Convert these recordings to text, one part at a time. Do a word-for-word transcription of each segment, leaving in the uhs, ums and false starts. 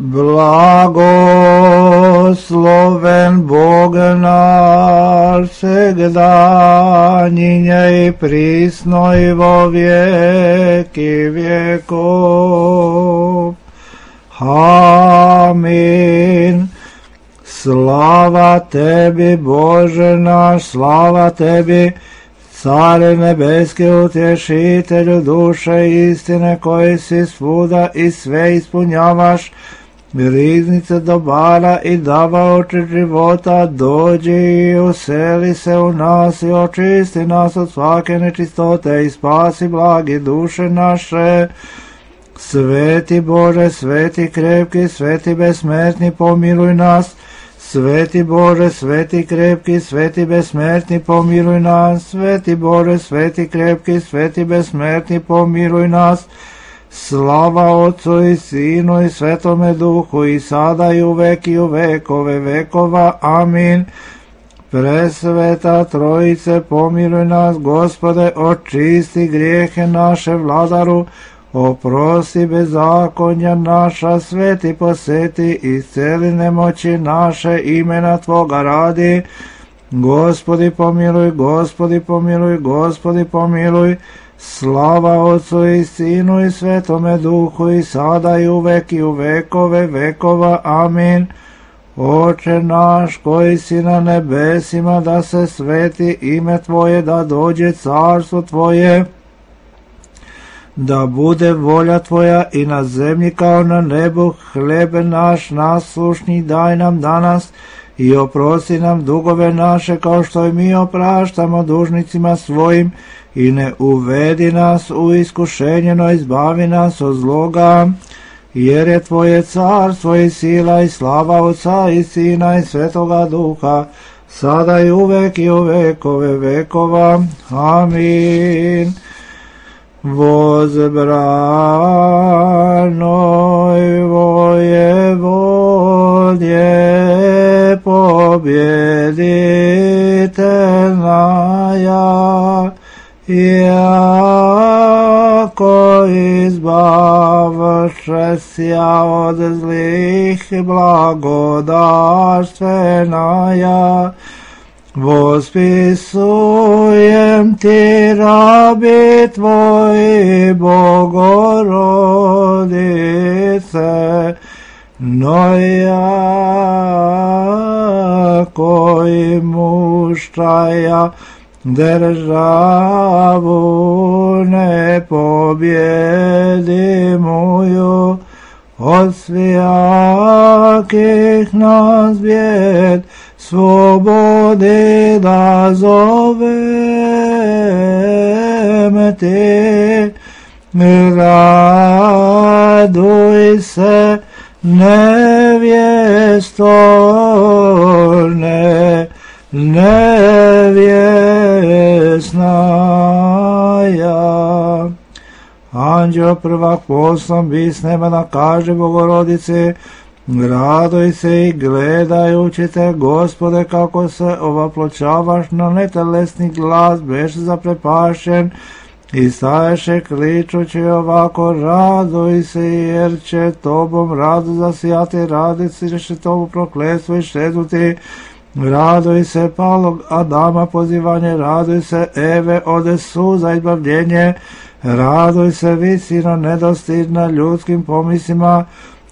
Blagosloven Bog naš, всегда, ныне и присно и во веки веков. Аминь. Слава Теbi, Боже наш, слава Теbi, Царе небески, утешителю душе истine, koji si svuda i sve ispunjavaš, riznice dobara i davaoče života, dođi i useli se u nas i očisti nas od svake nečistote i spasi blagi duše naše. Sveti Bože, sveti krepki, sveti besmrtni, pomiluj nas. Sveti Bože, sveti krepki, sveti besmrtni, pomiluj nas. Sveti Bože, sveti krepki, sveti besmrtni, pomiluj nas. Slava Otcu i Sinu i Svetome Duhu, i sada i uvek i u vekove vekova. Amin. Presveta Trojice, pomiluj nas, Gospode, očisti grijehe naše, Vladaru, oprosti bezakonja naša, sveti poseti, isceli nemoći naše, imena Tvoga radi. Gospodi pomiluj, Gospodi pomiluj, Gospodi pomiluj. Slava Otcu i Sinu i Svetome Duhu, i sada i uvek i u vekove vekova. Amin. Oče naš koji si na nebesima, da se sveti ime Tvoje, da dođe carstvo Tvoje, da bude volja Tvoja i na zemlji kao na nebu. Hlebe naš naslušni daj nam danas i oprosti nam dugove naše, kao što i mi opraštamo dužnicima svojim, i ne uvedi nas u iskušenje, no izbavi nas od zloga, jer je Tvoje carstvo i sila i slava Otca i Sina i Svetoga Duha, sada i uvek i u vekove vekova. Amin. Возбранoj воеводje, побjeditelная, jako izbavše sja od zlih, blagodarstveная, vospisujem Ti, rabi Tvoji, Bogorodice, no jako i muštraja državu ne pobjedimuju, od svijakih nas bijed slobodi da zovem Ti. Raduj se, nevjesto, ne, nevjesnaja. Anđeo prvak poslom bi s neba da kaže Bogorodici, raduj se i gledajući Te, Gospode, kako se ovapločavaš na netelesni glas, beš zaprepašen i staješe kličući ovako, raduj se, jer će Tobom rado zasijati, radici će Tobu prokletstvo i šeduti. Raduj se, palog Adama pozivanje, raduj se, Eve, ode suza izbavljenje, raduj se, visino nedostidna ljudskim pomislima,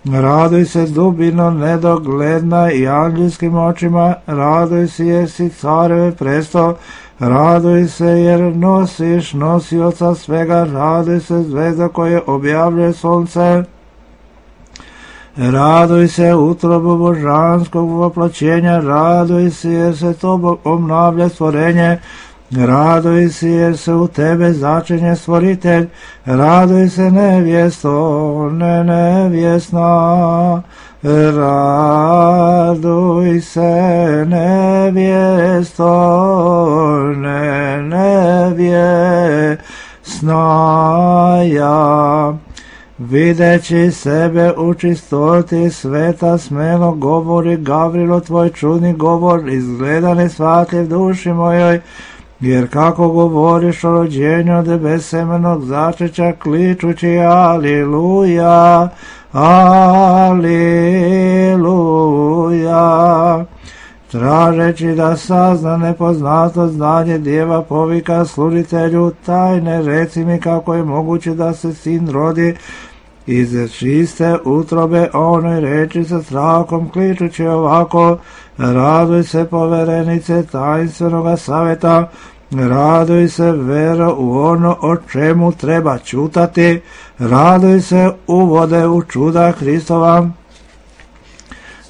raduj se, dubino nedogledna i anđelskim očima, raduj se, jer si careve presto, raduj se, jer nosiš nosioca svega, raduj se, zvezda koje objavljuje sunce, raduj se, utrobu božanskog voploćenja, raduj se, jer se Tobom obnavlja stvorenje, raduj se, jer se u Tebe začinje stvoritelj, raduj se, nevjesto, ne nevjesna, raduj se, nevjesto, ne nevjesnaja. Videći sebe u čistoti sveta, smelo govori Gavrilo, Tvoj čudni govor, izgleda nesvatljiv duši mojoj, jer kako govoriš o rođenju od besemenog začeća, kličući Aliluja, Aleluja. Tražeći da sazna nepoznato znanje djeva povika služitelju tajne, reci mi kako je moguće da se sin rodi iz čiste utrobe onoj reči sa strahom kličući ovako: raduj se poverenice tajnstvenog savjeta, raduj se vero u ono o čemu treba čutati, raduj se uvode u čuda Hristova,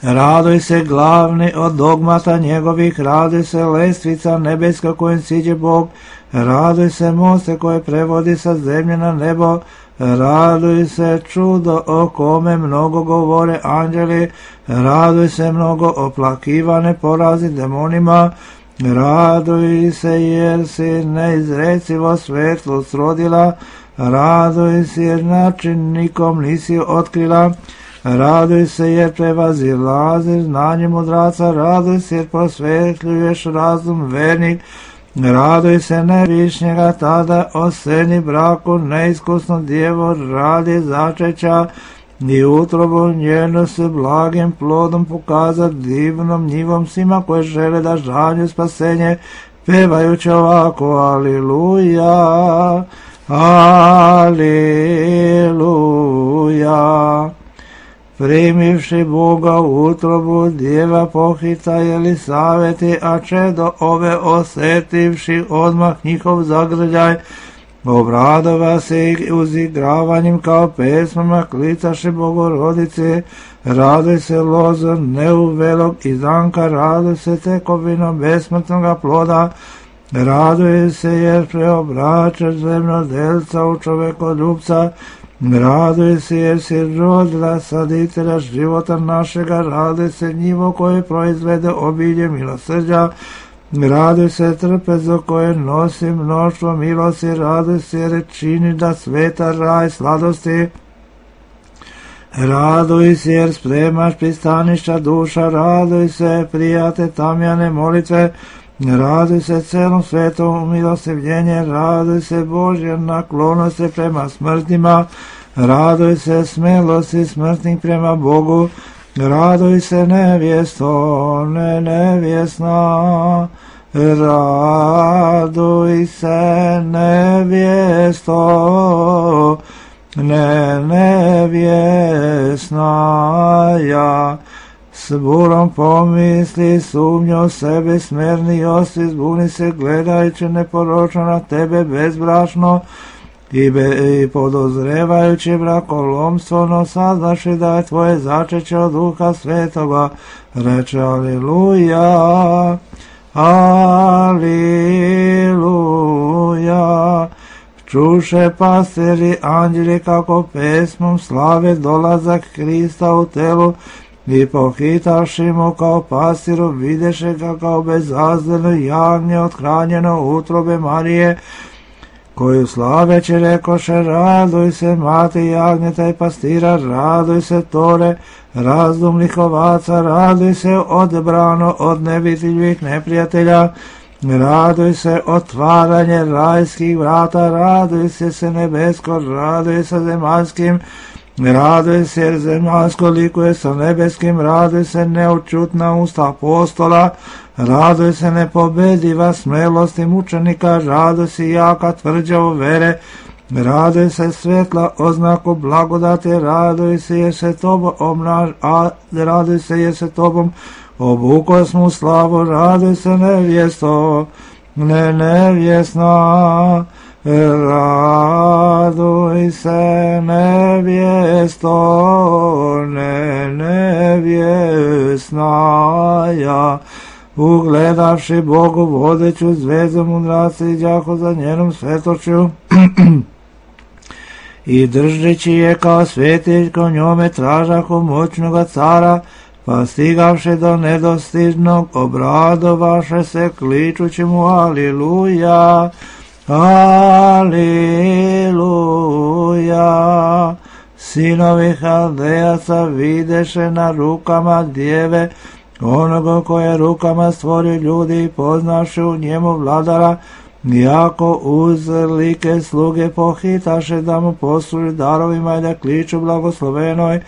raduj se glavni od dogmata njegovih, raduj se lestvica nebeska kojem siđe Bog, raduj se moste koje prevodi sa zemlje na nebo, raduj se čudo o kome mnogo govore anđeli, raduj se mnogo oplakivane porazi demonima, raduj se jer si neizrecivo svetlost rodila, raduj se jer način nikom nisi otkrila, raduj se jer prevazilaziš znanje mudraca, raduj se jer prosvetljuješ razum vernik, raduj se nevišnjega tada o sceni braku, neiskusno djevo radi začeća i utrobu njenu se blagim plodom pokazat divnom njivom svima koje žele da žalju spasenje, pevajući ovako: Aliluja, Aliluja. Primivši Boga u utrobu, djeva pohita Jelisaveti, a čedo ove osetivši odmah njihov zagrljaj, obradova se uzigravanjem kao pesmama, klicaše Bogorodice, raduj se lozo neuvelog izanka, raduj se tekovinom besmrtnoga ploda, raduj se jer preobraćaš zemljodelca u čovekoljubca, raduj se jer si rodila saditelja života našega, raduj se njivo koje proizvede obilje milosrđa, raduj se trpezo koje nosi mnoštvo milosti, raduj se jer čini da sveta raj sladosti, raduj se jer spremaš pristaništa duša, raduj se prijate tamjane molitve, raduj se celom svetom umilostivljenje, raduj se Božja naklonosti prema smrtnima, raduj se smelosti smrtnih prema Bogu, raduj se nevjesto, ne nevjesna, raduj se nevjesto, ne nevjesna ja. S burom pomisli, sumnjo sebe smerni osti, zbuni se gledajući neporočno na tebe bezbrašno i, be, i podozrevajući brakolomstvo, no saznaši da je tvoje začeće od Duha Svetoga, reče Aliluja, Aliluja. Čuše pastiri anđeli kako pesmom slave dolazak Hrista u telu, i pohitavši mu kao pastiru, videše ga kao bezazdano jagnje othranjeno utrobe Marije, koju slaveći rekoše: raduj se mati jagnjeta i pastira, raduj se tore razdumnih ovaca, raduj se odbrano od nevidljivih neprijatelja, raduj se otvaranje rajskih vrata, raduj se se nebesko, raduj se zemaljskim, raduj se jer zemaljsko likuje sa nebeskim, raduj se neočutna usta apostola, raduj se nepobediva smelosti mučenika, raduj se jaka tvrđavo vere, raduj se svetla oznaku blagodati, raduj se jer se tobom obnaž, a raduj se jer se tobom obuko smo slavu, raduj se nevjesto, ne nevjesna, raduj se nevjesto, ne nevjesna ja. Ugledavši Bogu vodeću zvezdu mudraci iđahu za njenom svetošću i držeći je kao svetiljko njome tražahu moćnoga cara, pa stigavše do nedostižnog obradovaše se kličući mu Aliluja, Aliluja. Sinovi Haldejaca videše na rukama djeve onoga koje rukama stvorio ljudi i poznavši u njemu vladara, Jako uzlike sluge pohitaše da mu posluži darovima i da kliču blagoslovenoj.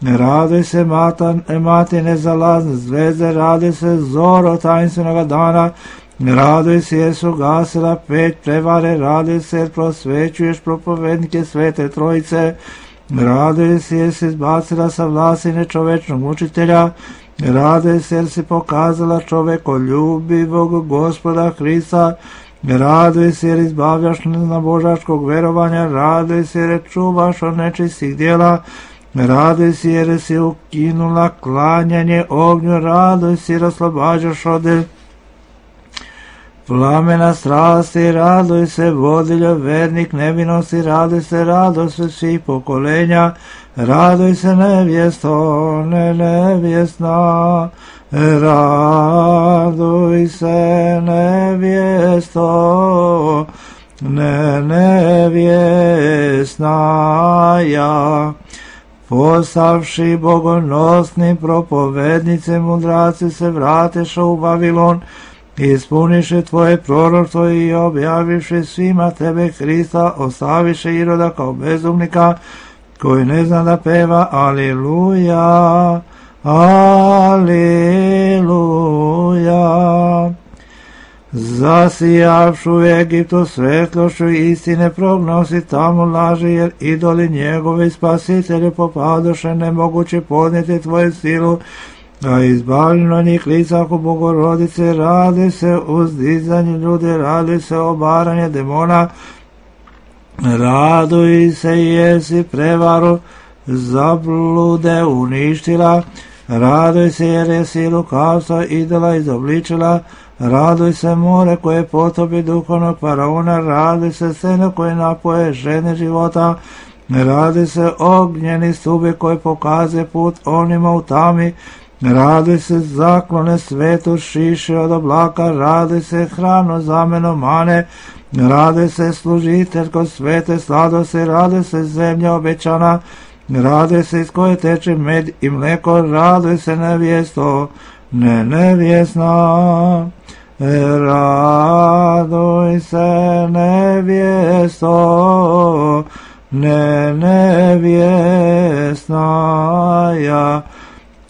Raduj se mata, mati nezalazne zvezde, raduj se zoro tajinstvenoga dana, raduj se jer su gasila pet prevare, raduj se jer prosvećuješ propovednike Svete Trojice, raduj se jer si izbacila sa vlasti nečovečnog mučitelja, raduj se jer si pokazala čovekoljubivog Gospoda Hrista, raduj se jer izbavljaš na božačkog verovanja, raduj se jer čuvaš od nečistih djela, raduj se jer si ukinula klanjanje ognju, raduj se jer oslobađaš od plamena strasti, raduj se vodiljo vernik nevinosti, raduj se radost svih pokolenja, raduj se nevjesto, ne nevjesna, raduj se nevjesto, ne nevjesna ja. Postavši bogonosni propovednice mudraci se vrateša u Vavilon, ispuniše tvoje proroštvo i objaviše svima tebe Hrista, ostaviše Iroda kao bezumnika koji ne zna da peva Aliluja, Aliluja. Zasijavšu u Egiptu svetlošću istine prognosi tamo laži, jer idoli njegovi spasitelju popadoše nemoguće podnijeti tvoju silu, a izbavljeno njih lica oko Bogorodice, radi se uzdizanje ljudi, radi se obaranje demona, raduj se jer si prevaru zablude uništila, raduj se jer je si lukavstva idola izobličila, raduj se more koje potopi duhovnog faraona, raduj se seno koje napoje žene života, raduj se ognjeni stubi koji pokazuje put onima u tami, raduj se zaklone svetu šiše od oblaka, raduj se hrano zameno mane, raduj se služiteljko svete sladosti, raduj se zemlja obećana, raduj se iz koje teče med i mleko, raduj se nevjesto, ne nevjesna, raduj se nevjesto, ne nevjesna ja.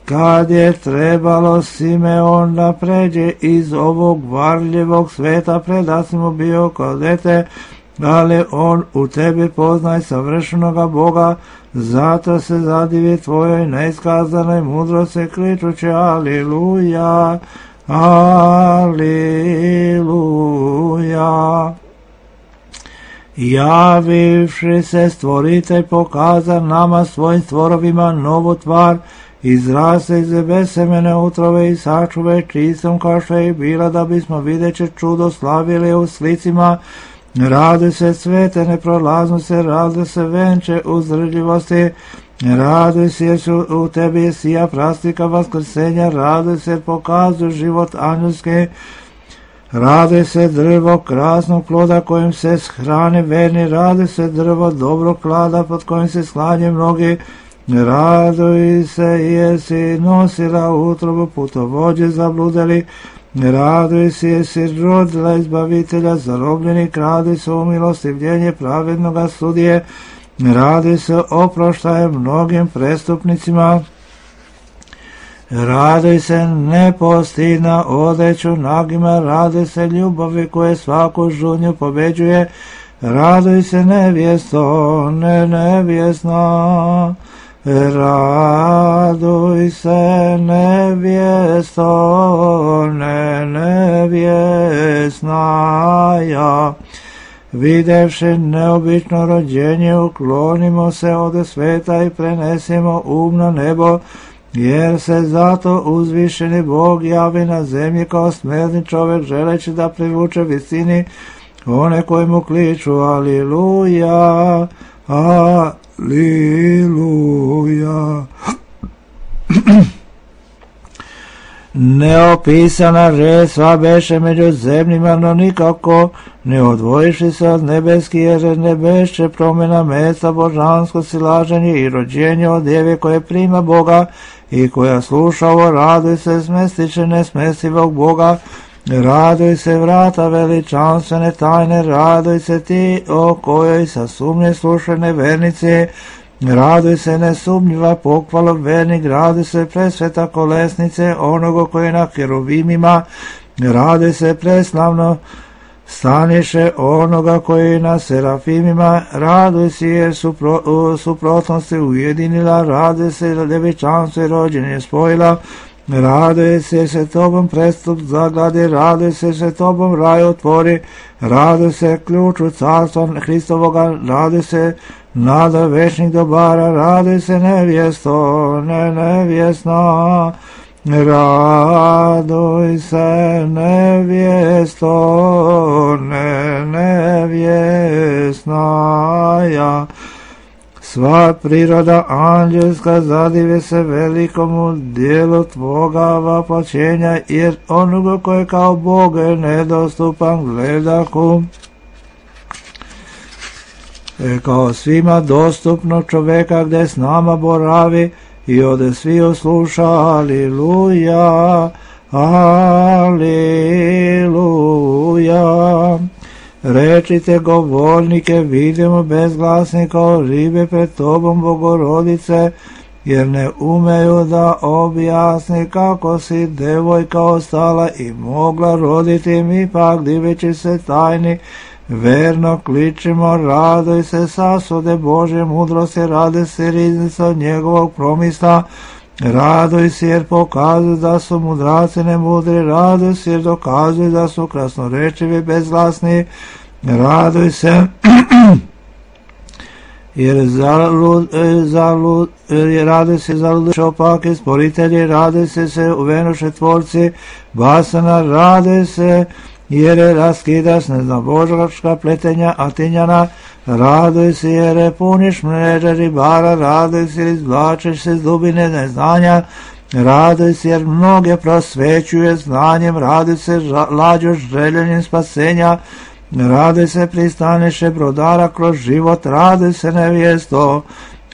Kad je trebalo Simeon da pređe iz ovog varljivog sveta, predasi mu bio kao dete, ali on u tebi poznaj savršenoga Boga, zato se zadivi tvojoj neiskazanoj mudrosti, kričući Aliluja, Aliluja. Javivši se stvoritelj pokaza nama svojim stvorovima novu tvar, izraste iz besemene utrove i sačuve čistom kao što je bila, da bismo videće čudo slavili u slicima. Radi se svete neprolaznosti, radi se venče uzdržljivosti, radi se jer su u tebi sija prastika vaskrsenja, radi se jer pokazuje život angelski, radi se drvo krasnog ploda kojim se hrane verni, radi se drvo dobrog klada pod kojim se sklanje mnogi, raduj se jer si nosila utrobu putovođe zabludeli, raduj se jer si rodila izbavitelja zarobljenih, raduj se o milostivljenje pravednoga sudije, raduj se oproštaje mnogim prestupnicima, raduj se nepostidna odeću nagima, raduj se ljubavi koje svaku žudnju pobeđuje, raduj se nevjesto, ne nevjesna, raduj se nevjesto, ne nevjesna ja. Videvši neobično rođenje, uklonimo se od sveta i prenesimo um na nebo, jer se zato uzvišeni Bog javi na zemlji kao smrtni čovjek, želeći da privuče visini one koji mu kliču Aliluja, Aliluja. Neopisana žetva beše među zemljima, no nikako ne odvojiši se od nebeski, jer ne beše promjena mesta, božansko silaženje i rođenje od djeve koje prima Boga i koja sluša ovo, raduj se smestiće nesmestivog Boga, Raduj se vrata veličanstvene tajne, raduj se ti o kojoj sa sumnje slušane vernice, raduj se nesumnjiva pokvala vernik, raduj se presveta kolesnice onoga koji je na keruvimima, raduj se preslavno staniše onoga koji je na serafimima, raduj se jer su pro, suprotnosti ujedinila, raduj se jer devičanstvo i rođenje spojila, raduj se se tobom prestup zagladi, raduj se se tobom raj otvori, raduj se ključu carstva Hristovoga, raduj se nada večnih dobara, raduj se nevjesto, ne nevjesna, raduj se nevjesto, ne nevjesna ja. Sva priroda anđelska zadive se velikomu dijelu tvoga vapačenja, jer onoga koje kao Bog je nedostupan gledahu, e kao svima dostupno čoveka gde s nama boravi i ode svi osluša. Aliluja, aliluja. Rečite govornike, vidimo bezglasni kao ribe pred tobom, Bogorodice, jer ne umeju da objasni kako si devojka ostala i mogla roditi, mi pak diveći se tajni verno kličimo, raduj se sasude Božje mudrosti, rade se riznica od njegovog promisla, raduj se jer pokazuju da su mudraci nemudri, raduj se jer dokazuju da su krasnorečivi bezglasni, raduj se jer zalud, zalud, raduj se zaluduše opake sporitelji, raduj se se uvenuše tvorci basana, raduj se jer je raskidaš neznabožačka pletenja Atinjana, raduj se jer je puniš mreže ribara, raduj se jer izvlačeš se z dubine neznanja, raduj se jer mnoge prosvećuje znanjem, raduj se lađoš željenjem spasenja, raduj se pristaniše brodara kroz život, raduj se nevjesto,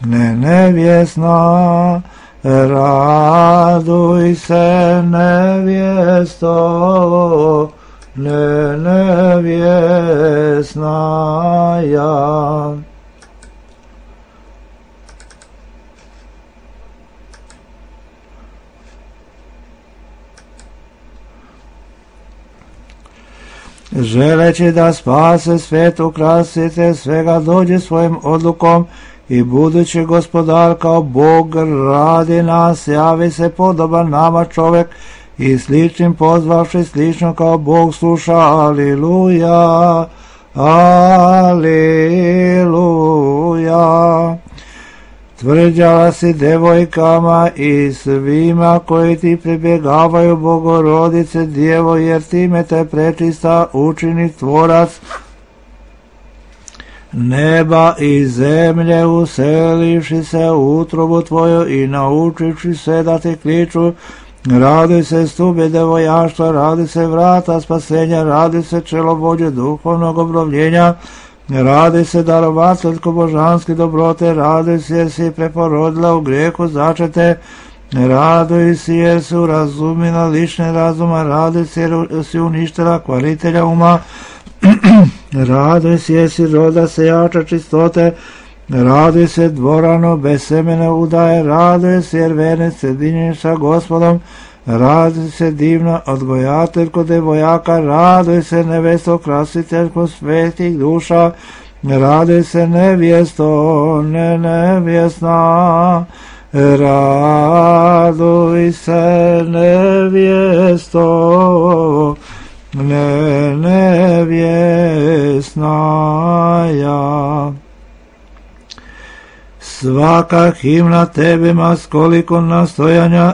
ne nevjesna, raduj se nevjesto, ne nevjesna ja. Želeći da spase svet, ukrasite svega, dođe svojim odlukom i budući gospodar kao Bog radi nas, javi se podoban nama čovek i sličnim pozvavši slično kao Bog sluša. Aliluja, aliluja. Tvrđala si devojkama i svima koji ti pribjegavaju, Bogorodice Djevo, jer time te prečista učini tvorac neba i zemlje, uselivši se u utrobu tvoju i naučivši se da ti kliču. Raduj se stube devojaštva, raduj se vrata spasenja, raduj se čelovođe duhovnog obnovljenja, raduj se darovateljko božanske dobrote, raduj se jer si preporodila u grijehu začete, raduj se jer si urazumila lične razuma, raduj se jer si uništila kvaritelja uma, raduj se jer si roda sejača čistote, raduj se dvorano bez semena udaje, raduj se jer vernic sjedinjen sa Gospodom, raduj se divna odgojateljko devojaka, raduj se nevesto krasiteljko svetih duša, raduj se nevjesto, ne nevjesna, raduj se nevjesto, ne nevjesna ja. Svaka himna tebi ma skoliko nastojanja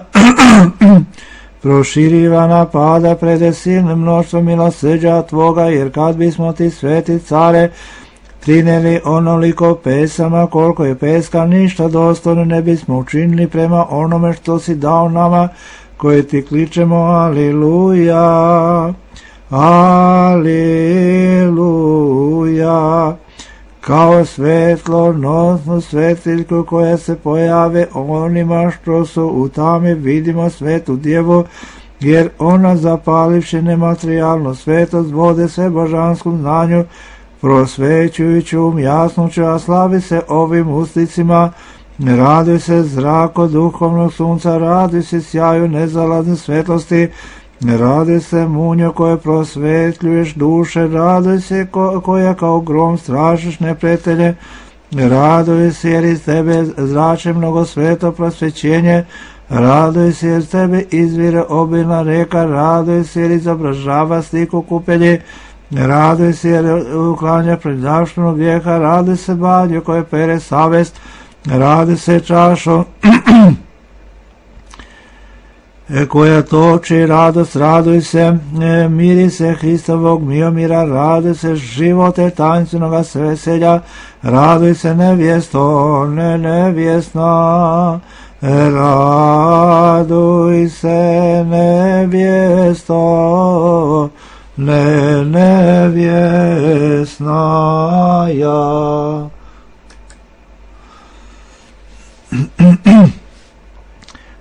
proširivana pada prede silnim mnoštvom milosrđa tvoga, jer kad bismo ti sveti care trineli onoliko pesama koliko je peska, ništa dostojno ne bismo učinili prema onome što si dao nama koji ti kličemo. Aliluja, aliluja. Kao svetlo nosnu svetiljku koja se pojave onima što su u tami, vidimo svetu djevu, jer ona zapalivši nematerijalnu svetost vode sve božanskom znanju, prosvećujući um jasnoću, a slavi se ovim usticima, raduj se zrako duhovnog sunca, raduj se sjaju nezalazne svetlosti, raduj se munjo koje prosvetljuješ duše, raduj se ko, koja kao grom strašiš neprijatelje, raduj se jer iz tebe zrače mnogo sveto prosvećenje, raduj se jer iz tebe izvire obilna reka, raduj se jer izobražava sliku kupelji, raduj se jer uklanja predavštinu grijeha, raduj se badnju koje pere savest, raduj se čašom koja toči radost, raduj se, miri se Hristovog miomira, raduj se živote tancinoga veselja, raduj se nevjesto, ne nevjesna, raduj se nevjesto, ne nevjesna ja.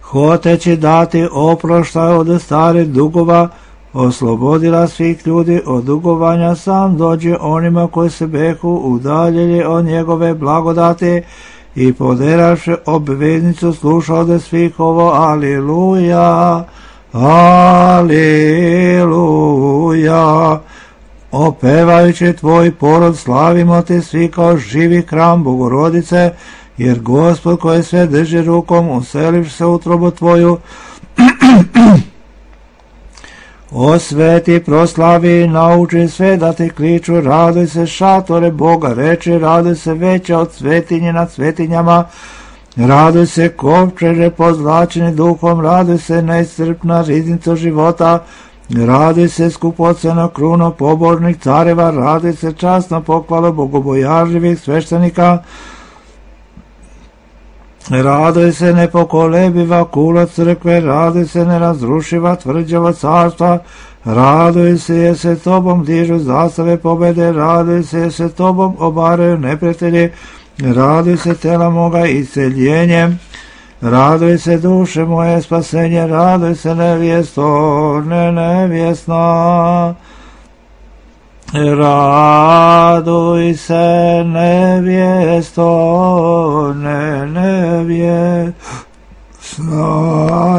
Hoteći dati oproštaj od starih dugova, oslobodila svih ljudi od dugovanja, sam dođe onima koji se behu udaljili od njegove blagodati i poderavši obveznicu sluša od svih ovo, aliluja, aliluja. Opevajući tvoj porod slavimo te svi kao živi hram Bogorodice, jer Gospod koji sve drži rukom, uselivši se u utrobu tvoju, osveti, proslavi i nauči sve da ti kliču, raduj se šatore Boga, reči, raduj se veća od svetinje nad svetinjama, raduj se kovčeže pozlačeni duhom, raduj se neiscrpna riznica života, raduj se skupocena kruno pobožnih careva, raduj se časna pohvala bogobojažljivih sveštenika, raduj se nepokolebiva kula crkve, raduj se nerazrušiva tvrđava carstva, raduj se jer se tobom dižu zastave pobede, raduj se jer se tobom obaraju neprijatelji, raduj se tela moga isceljenjem, raduj se duše moje spasenje, raduj se nevjesto, ne nevjesna, raduj se nevjesto, ne nevjesna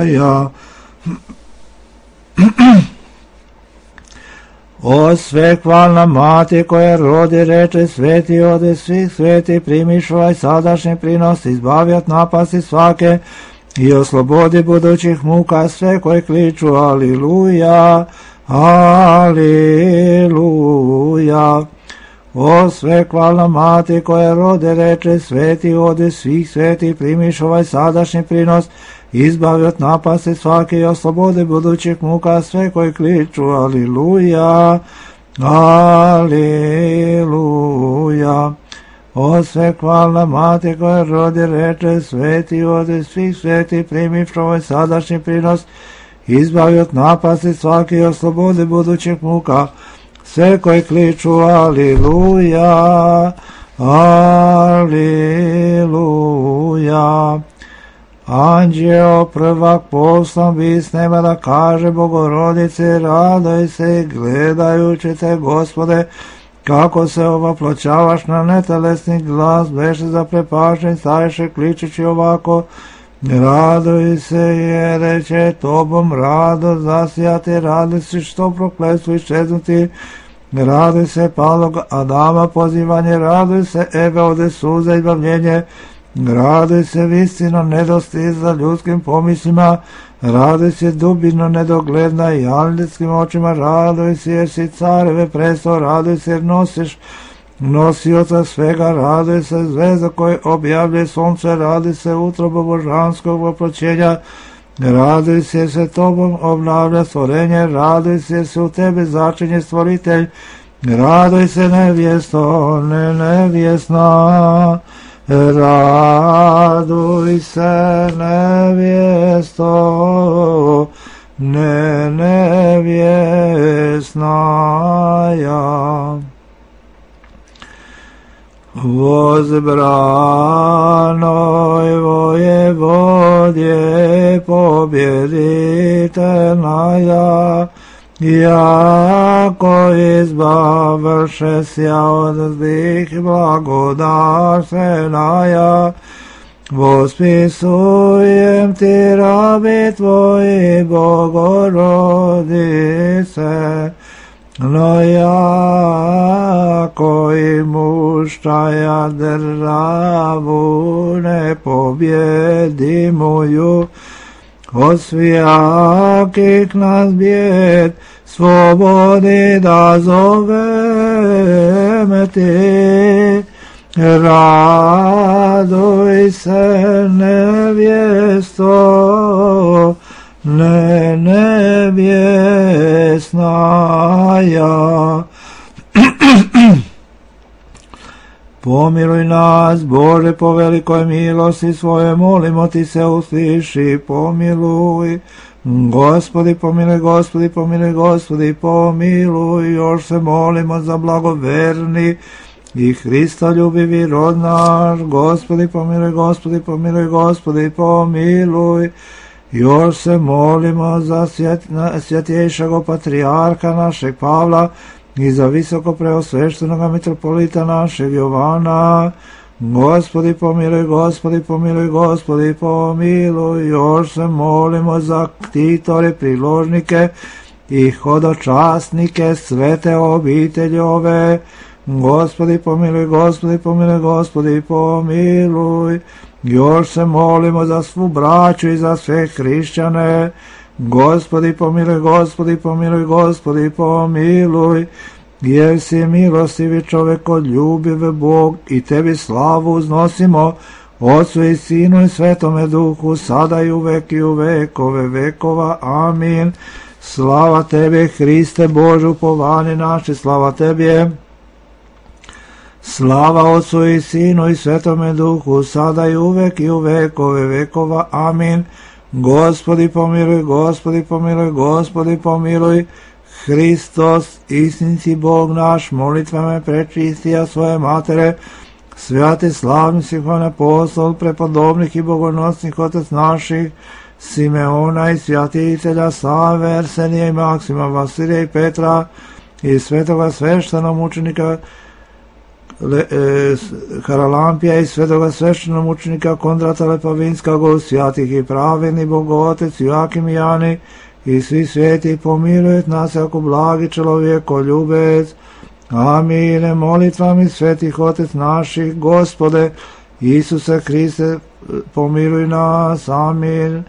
ja. O svekvalna mati koja rodi reče sveti ode svih sveti, primiš ovaj sadašnji prinos, izbavi od napasti svake i oslobodi budućih muka sve koji kliču aliluja, aliluja. O svekvalna mati koja rode reče sveti ode svih sveti, primiš ovaj sadašnji prinos, izbavi od napasti svake i oslobodi budućih muka sve koji kliču aliluja, aliluja. O svekvalna mati koja rodi reče sveti ode svih sveti, primiš ovaj sadašnji prinos, izbavi od napasti svake i oslobodi budućih muka sve koji kliču aliluja, aliluja. Anđeo prvak poslan bi s neba da kaže Bogorodice, radoj se gledajući te, Gospode, kako se ovaploćavaš na netelesni glas, beše zaprepašen, staješe kličući ovako, raduj se jer će tobom rado zasijati, raduj se što prokletstvo iščeznuti, raduj se palog Adama pozivanje, raduj se Eve ode suza izbavljenje, raduj se visino nedostiza ljudskim pomislima, raduj se dubino nedogledna i anđelskim očima, raduj se jer si careve presto, raduj se jer nosiš nosioca svega, raduj se zvezda koje objavlje sunce, raduj se utrobo božanskog voproćenja, raduj se jer se tobom obnavlja stvorenje, raduj se jer se u tebe začinje stvoritelj, raduj se nevjesto, ne nevjesna, raduj se nevjesto, ne nevjesna ja. Возбранoj vojevodje pobjedi utješitelnaja, jako izbavše sja od zlih blagodarsenaja, vospisujem ti rabi tvoji Bogorodice, no jako i muštaja državu ne pobjedimuju, od svijakih nas bijed slobodi da zoveme ti. Raduj se nevjesto, ne nevjesnaja. Pomiluj nas, Bože, po velikoj milosti svoje, molimo ti se, usliši, pomiluj. Gospodi pomiluj, Gospodi pomiluj, Gospodi pomiluj, još se molimo za blagoverni i Hrista ljubivi rod naš. Gospodi pomiluj, Gospodi pomiluj, Gospodi pomiluj, još se molimo za svjetjejšeg patrijarha našeg Pavla i za visoko preosveštenog mitropolita našeg Jovana. Gospodi pomiluj, Gospodi pomiluj, Gospodi pomiluj, još se molimo za ktitore, priložnike i hodočasnike svete obitelji ove. Gospodi pomiluj, Gospodi pomiluj, Gospodi pomiluj, još se molimo za svu braću i za sve hrišćane. Gospodi pomiluj, Gospodi pomiluj, Gospodi pomiluj, jer si milostivi čovjeko, ljubiv Bog, i tebi slavu uznosimo, Otcu i Sinu i Svetome Duhu, sada i uvek i u vekove vekova. Amin. Slava tebi, Hriste Bože, upovanje naše, slava tebi. Slava Otcu i Sinu i Svetome Duhu, sada i uvek i u vekove vekova. Amin. Gospodi pomiluj, Gospodi pomiluj, Gospodi pomiluj, Hristos, istinci Bog naš, molitvama prečistija svoje matere, svjati slavni Sihon apostol, prepodobnih i bogonosnih otec naših, Simeona i svjatitelja Save, Arsenija i Maksima, Vasilija i Petra i svetoga sveštenog mučenika Le, e, Haralampija i svetoga sveštenog mučenika Kondrata Lepavinskog, svjatih i pravedni Bogotec Joakim i Jani i svi sveti, pomilujet nas ako blagi čelovjeko ljubec. Amine. Molitvami svetih otec naših, Gospode Isuse Hriste, pomiluj nas. Amin.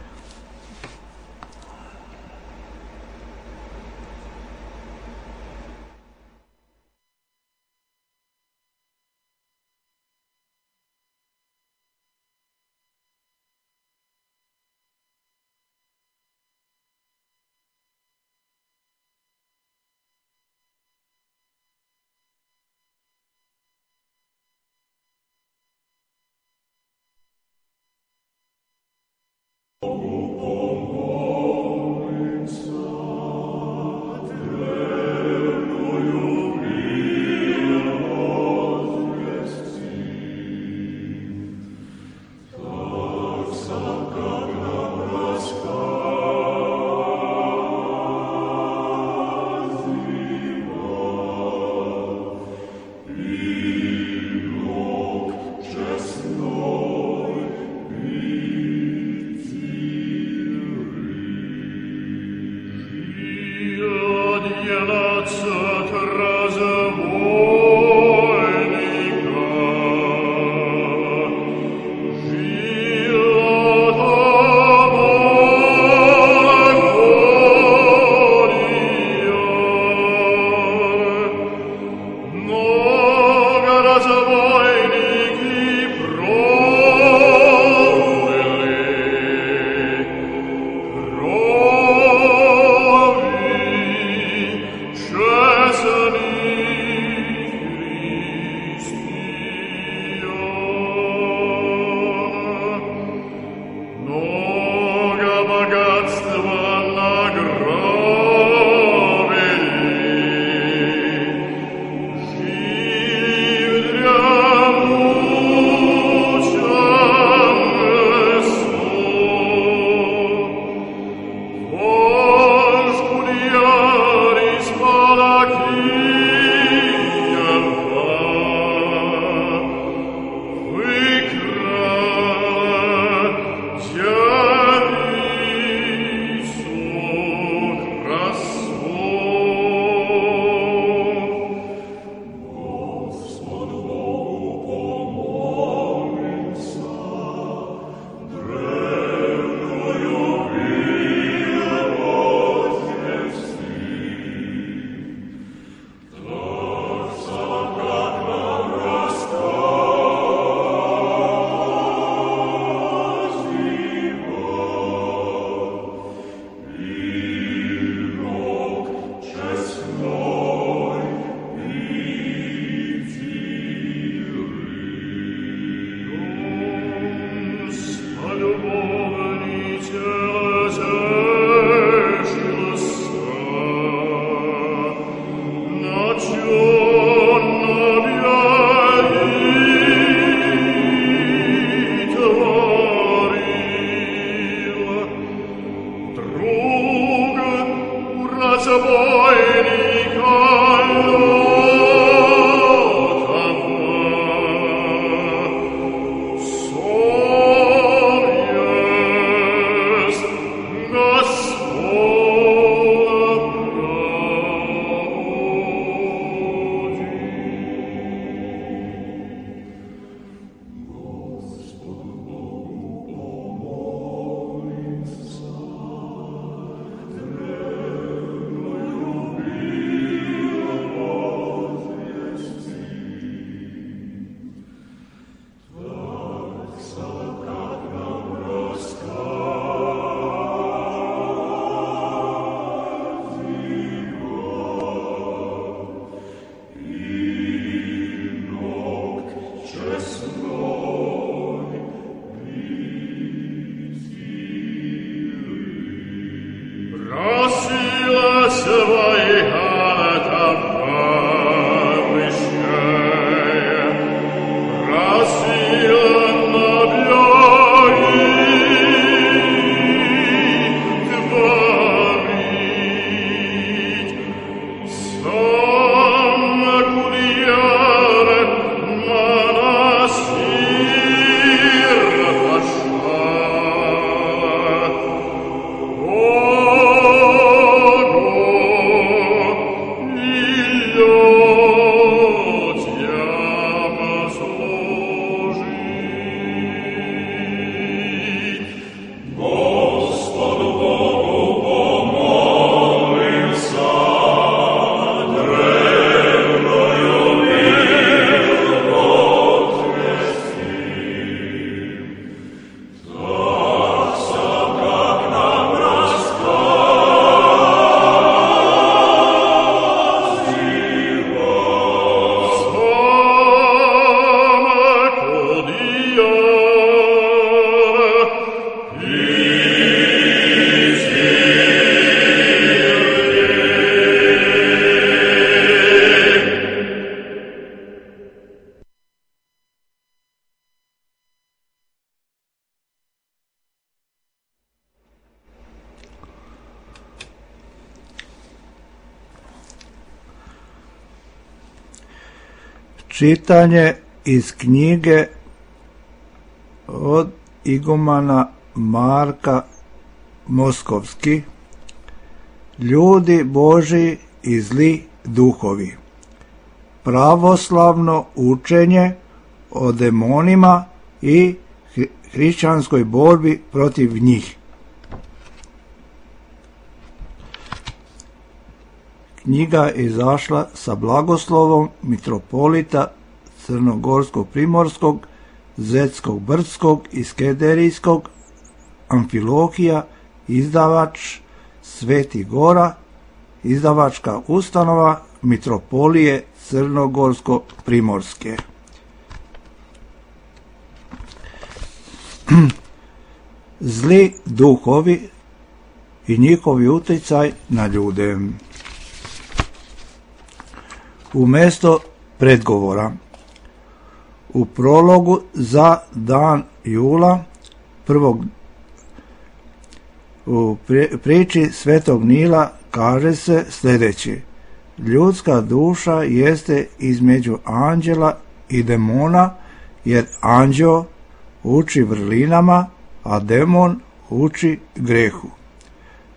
Čitanje iz knjige od igumana Marka Moskovski, Ljudi Božji i zli duhovi. Pravoslavno učenje o demonima i hrišćanskoj borbi protiv njih. Knjiga je izašla sa blagoslovom mitropolita Crnogorsko-primorskog, Zetskog Brdskog i Skederijskog, Amfilohija, izdavač Sveti Gora, izdavačka ustanova mitropolije Crnogorsko-primorske. Zli duhovi i njihovi utjecaj na ljude. Umjesto predgovora, u prologu za dan jula prvog u priči Svetog Nila kaže se sljedeće: ljudska duša jeste između anđela i demona, jer anđeo uči vrlinama, a demon uči grehu.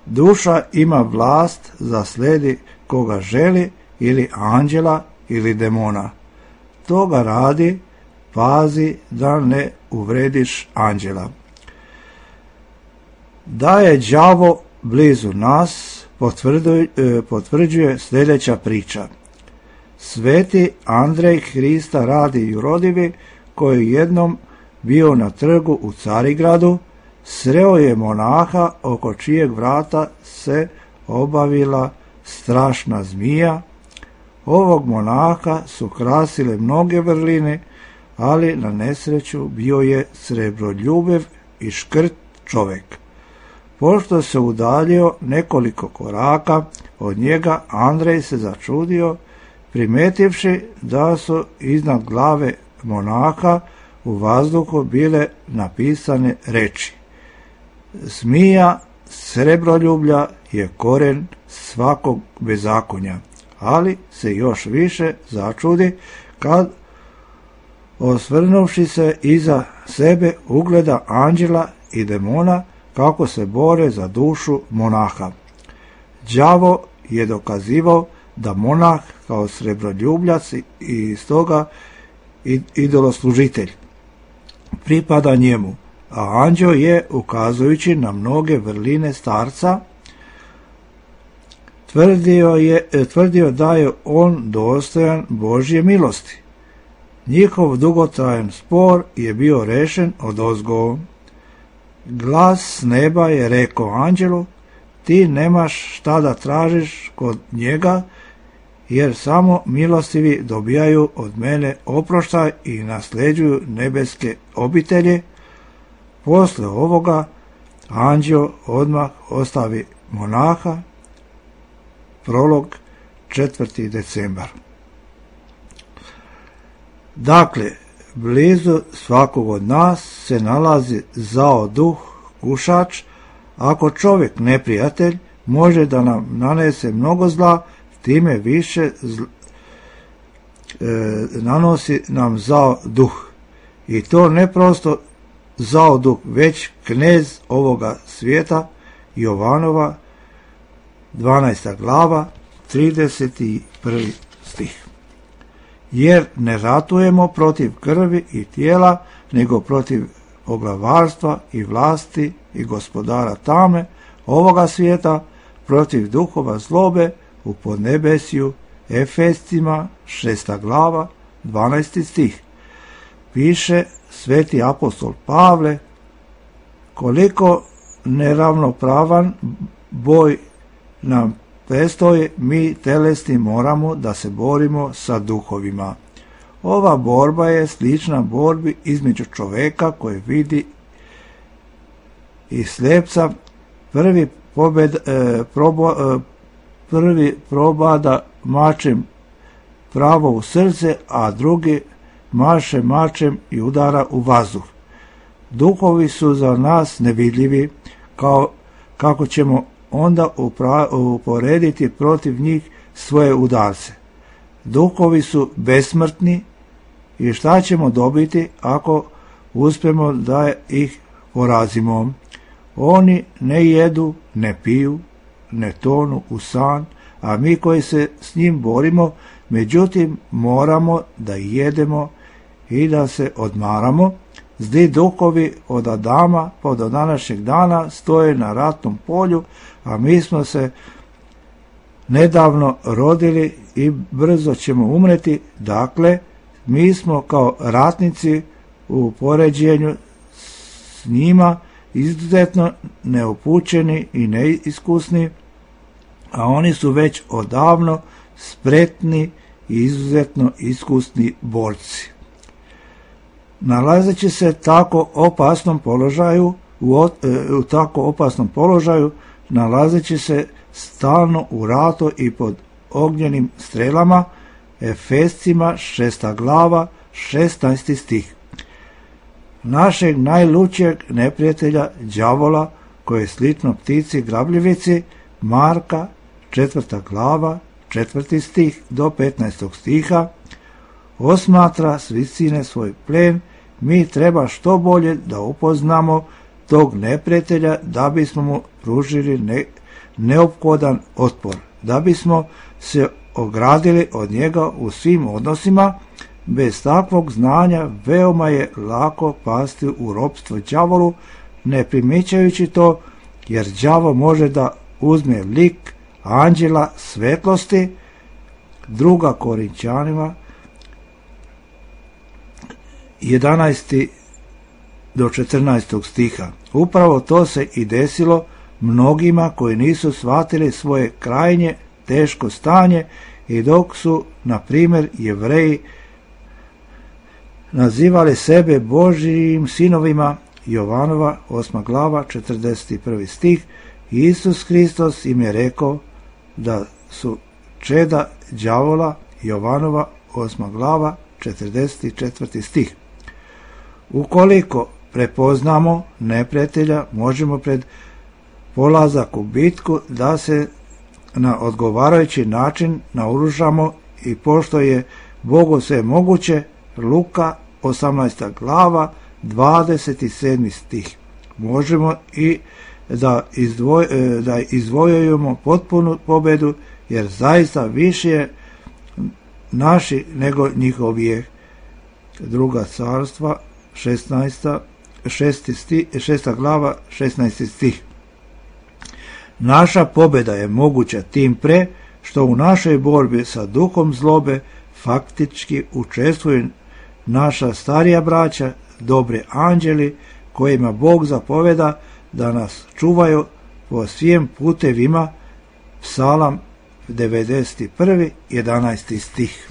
Duša ima vlast da slijedi koga želi, ili anđela ili demona. Toga radi, pazi da ne uvrediš anđela. Da je đavo blizu nas, potvrđuje, potvrđuje sljedeća priča. Sveti Andrej Hrista Radi Jurodivi, koji je jednom bio na trgu u Carigradu, sreo je monaha oko čijeg vrata se obavila strašna zmija. Ovog monaha su krasile mnoge vrline, ali na nesreću bio je srebroljubiv i škrt čovjek. Pošto se udaljio nekoliko koraka od njega, Andrej se začudio, primetivši da su iznad glave monaha u vazduhu bile napisane reči: zmija srebroljublja je koren svakog bezakonja, ali se još više začudi kad, osvrnuvši se iza sebe, ugleda anđela i demona kako se bore za dušu monaha. Đavo je dokazivao da monah kao srebroljubljac i stoga idoloslužitelj pripada njemu, a anđeo je, ukazujući na mnoge vrline starca, tvrdio, je, tvrdio da je on dostojan Božje milosti. Njihov dugotrajan spor je bio rešen odozgo. Glas s neba je rekao anđelu: ti nemaš šta da tražiš kod njega, jer samo milostivi dobijaju od mene oproštaj i nasljeđuju nebeske obitelje. Posle ovoga anđeo odmah ostavi monaha. Prolog, četvrti decembar. Dakle, blizu svakog od nas se nalazi zao duh, kušač. Ako čovjek neprijatelj može da nam nanese mnogo zla, time više zl... e, nanosi nam zao duh. I to ne prosto zao duh, već knez ovoga svijeta, Jovanova dvanaesta glava, trideset prvi stih. Jer ne ratujemo protiv krvi i tijela, nego protiv poglavarstva i vlasti i gospodara tame ovoga svijeta, protiv duhova zlobe u podnebesju. Efescima šesta glava, dvanaesti stih. Piše sveti apostol Pavle: koliko neravnopravan boj nam prestoji, mi telesni moramo da se borimo sa duhovima. Ova borba je slična borbi između čoveka koji vidi i slepca. Prvi, pobed, e, probo, e, prvi probada mačem pravo u srce, a drugi maše mačem i udara u vazduh. Duhovi su za nas nevidljivi, kao, kako ćemo onda upra, uporediti protiv njih svoje udarce. Duhovi su besmrtni i šta ćemo dobiti ako uspemo da ih porazimo? Oni ne jedu, ne piju, ne tonu u san, a mi koji se s njim borimo, međutim moramo da jedemo i da se odmaramo. Zli duhovi od Adama pa do današnjeg dana stoje na ratnom polju, a mi smo se nedavno rodili i brzo ćemo umreti. Dakle, mi smo kao ratnici u poređenju s njima izuzetno neupućeni i neiskusni, a oni su već odavno spretni i izuzetno iskusni borci. Nalazeći se tako opasnom položaju, u, u tako opasnom položaju, nalazeći se stalno u ratu i pod ognjenim strelama, Efescima šesta glava, šesnaesti stih. Našeg najlučijeg neprijatelja đavola, koji je slično ptici grabljivici, Marka četvrta glava, četvrti stih do petnaestog stiha, osmatra s visine svoj plen. Mi treba što bolje da upoznamo tog neprijatelja, da bismo mu pružili ne, neophodan otpor, da bismo se ogradili od njega u svim odnosima. Bez takvog znanja veoma je lako pasti u ropstvo đavolu, ne primjećajući to, jer đavo može da uzme lik anđela svetlosti. Druga Korinćanima jedanaesti do četrnaestog stiha. Upravo to se i desilo mnogima koji nisu shvatili svoje krajnje teško stanje, i dok su, na primjer, Jevreji nazivali sebe Božijim sinovima, Jovanova osma glava, četrdeset prvi stih, Isus Hristos im je rekao da su čeda đavola, Jovanova osma glava, četrdeset četvrti stih. Ukoliko prepoznamo neprijatelja, možemo pred polazak u bitku da se na odgovarajući način naoružamo i pošto je Bogu sve moguće, Luka osamnaesta glava, dvadeset sedmi stih. Možemo i da, izdvoj, da izvojujemo potpunu pobedu, jer zaista više je naši nego njihovih. Druga carstva, šesnaesta, šesti stih, šesta glava, šesnaesti stih. Naša pobjeda je moguća tim pre što u našoj borbi sa duhom zlobe faktički učestvuju naša starija braća, dobri anđeli, kojima Bog zapoveda da nas čuvaju po svim putevima. Psalam devedeset jedan, jedanaesti stih.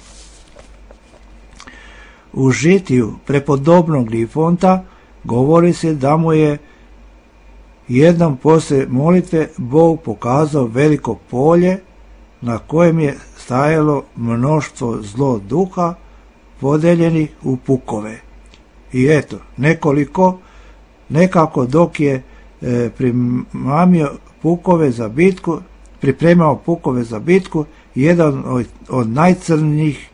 U žitiju prepodobnog Nifonta govori se da mu je jednom poslije molitve Bog pokazao veliko polje na kojem je stajalo mnoštvo zlo duha podeljenih u pukove. I eto, nekoliko, nekako dok je e, primamio pukove za bitku, pripremao pukove za bitku, jedan od, od najcrnijih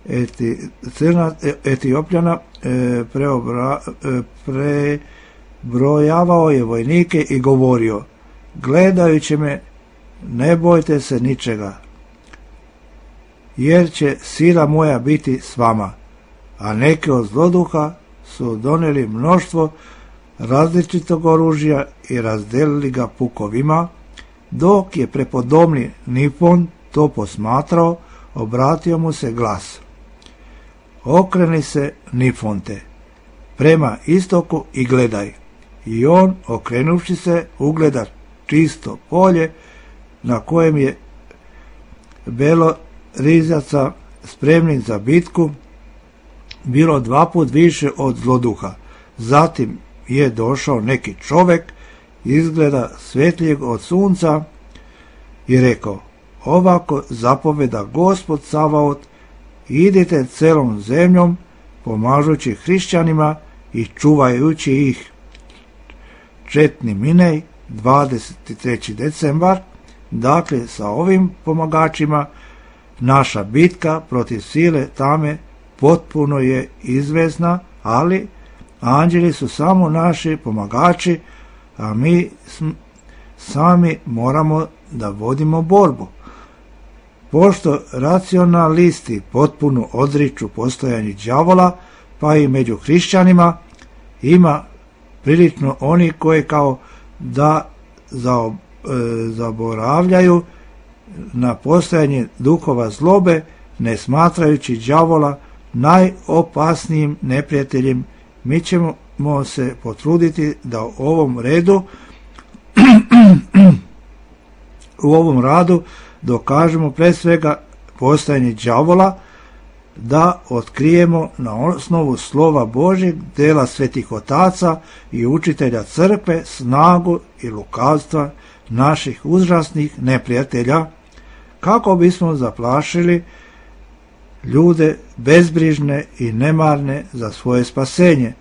eti, crna, Etiopljana e, preobra, e, prebrojavao je vojnike i govorio: gledajući me, ne bojte se ničega, jer će sila moja biti s vama. A neki od zloduha su donijeli mnoštvo različitog oružja i razdelili ga pukovima. Dok je prepodobni Nifon to posmatrao, obratio mu se glas: okreni se, Nifonte, prema istoku i gledaj. I on, okrenuvši se, ugleda čisto polje na kojem je belo rizaca spremnih za bitku, bilo dva put više od zloduha. Zatim je došao neki čovjek, izgleda svjetlijeg od sunca, i rekao: ovako zapoveda Gospod Savaot, idite celom zemljom, pomažući hrišćanima i čuvajući ih. Četni Minej, dvadeset treći decembar. Dakle, sa ovim pomagačima naša bitka protiv sile tame potpuno je izvesna, ali anđeli su samo naši pomagači, a mi sami moramo da vodimo borbu. Pošto racionalisti potpuno odriču postojanje đavola, pa i među hrišćanima ima prilično oni koji kao da zaboravljaju na postojanje duhova zlobe, ne smatrajući đavola najopasnijim neprijateljem. Mi ćemo se potruditi da u ovom redu u ovom radu dokažemo pre svega postojanje đavola, da otkrijemo na osnovu slova Božjeg, dela svetih otaca i učitelja crkve snagu i lukavstva naših užasnih neprijatelja, kako bismo zaplašili ljude bezbrižne i nemarne za svoje spasenje,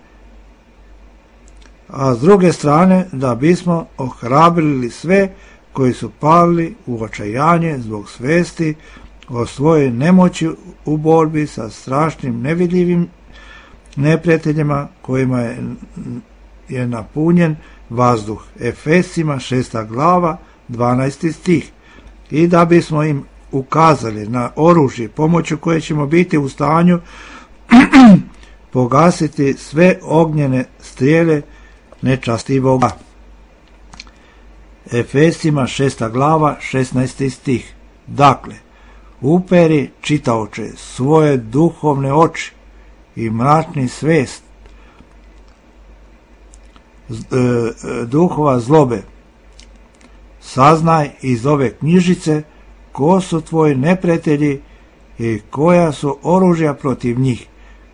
a s druge strane da bismo ohrabrili sve koji su pali u očajanje zbog svesti o svojoj nemoći u borbi sa strašnim nevidljivim neprijateljima kojima je, je napunjen vazduh. Efesima šesta glava, dvanaesti stih. I da bismo im ukazali na oružje pomoću koje ćemo biti u stanju pogasiti sve ognjene strijele nečastivoga. Efesima šesta glava, šesnaesti stih. Dakle, uperi, čitaoče, svoje duhovne oči i mračni svest e, duhova zlobe. Saznaj iz ove knjižice ko su tvoji neprijatelji i koja su oružja protiv njih.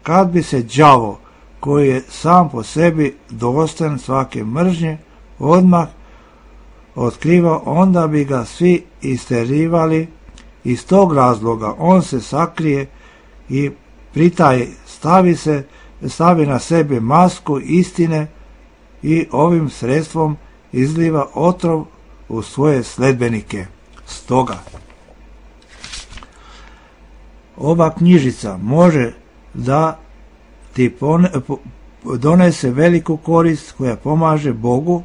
Kad bi se đavo, koji je sam po sebi dostojan svake mržnje, odmah otkrivao, onda bi ga svi isterivali. Iz tog razloga on se sakrije i pritaje, stavi, se, stavi na sebe masku istine i ovim sredstvom izliva otrov u svoje sledbenike. Stoga, ova knjižica može da ti donese veliku korist koja pomaže Bogu,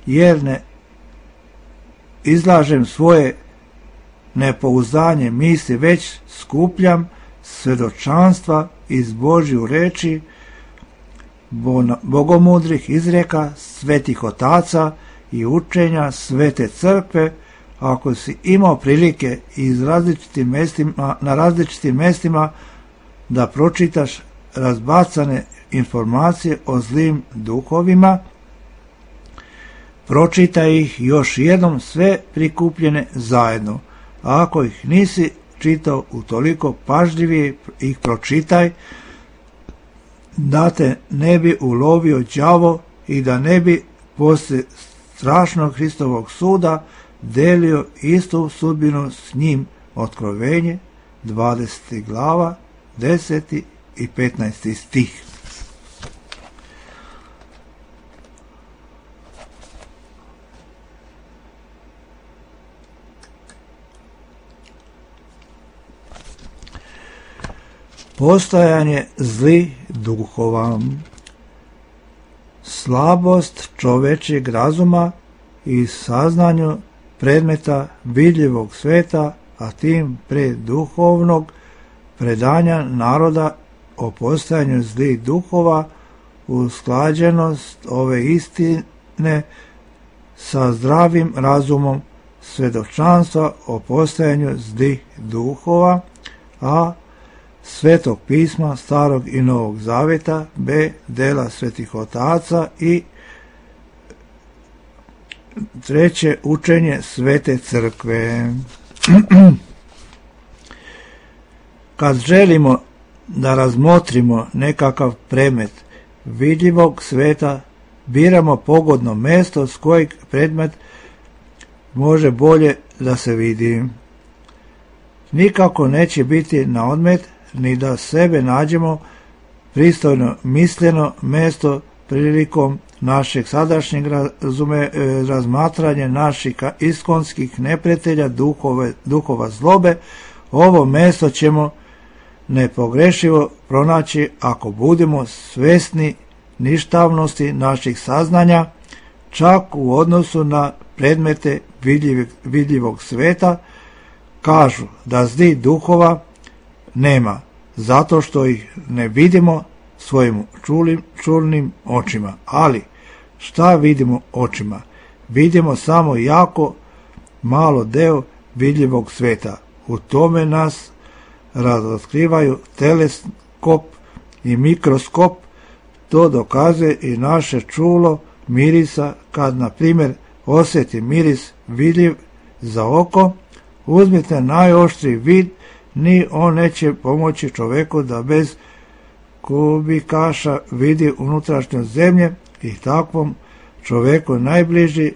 jer ne izlažem svoje nepouzdanje misli, već skupljam svedočanstva iz Božju reči, bogomudrih izreka, svetih otaca i učenja svete crkve. Ako si imao prilike iz različitim mestima, na različitim mestima da pročitaš razbacane informacije o zlim duhovima, pročitaj ih još jednom sve prikupljene zajedno. A ako ih nisi čitao utoliko pažljivije, ih pročitaj, da te ne bi ulovio đavo i da ne bi posle strašnog Hristovog suda delio istu sudbinu s njim. Otkrovenje, dvadeseta glava, deseti i petnaesti stih. Postojanje zlih duhova. Slabost čovečjeg razuma i saznanju predmeta vidljivog sveta, a tim pre duhovnog predanja naroda o postojanju zlih duhova, usklađenost ove istine sa zdravim razumom svedočanstva o postojanju zlih duhova, a Svetog pisma Starog i Novog Zaveta, b. dela svetih otaca i treće učenje svete crkve. Kad želimo da razmotrimo nekakav predmet vidljivog sveta, biramo pogodno mesto s kojeg predmet može bolje da se vidi. Nikako neće biti na odmet ni da sebe nađemo pristojno misleno mesto prilikom našeg sadašnjeg razume, razmatranja naših iskonskih neprijatelja duhove, duhova zlobe. Ovo mesto ćemo nepogrešivo pronaći ako budemo svesni ništavnosti naših saznanja, čak u odnosu na predmete vidljivog, vidljivog sveta. Kažu da zlih duhova nema, zato što ih ne vidimo svojim čulim, čulnim očima. Ali šta vidimo očima? Vidimo samo jako malo deo vidljivog sveta. U tome nas razotkrivaju teleskop i mikroskop. To dokazuje i naše čulo mirisa. Kad, na primjer, osjeti miris vidljiv za oko, uzmite najoštriji vid, ni on neće pomoći čoveku da bez kubikaša vidi unutrašnjost zemlje, i takvom čoveku najbliži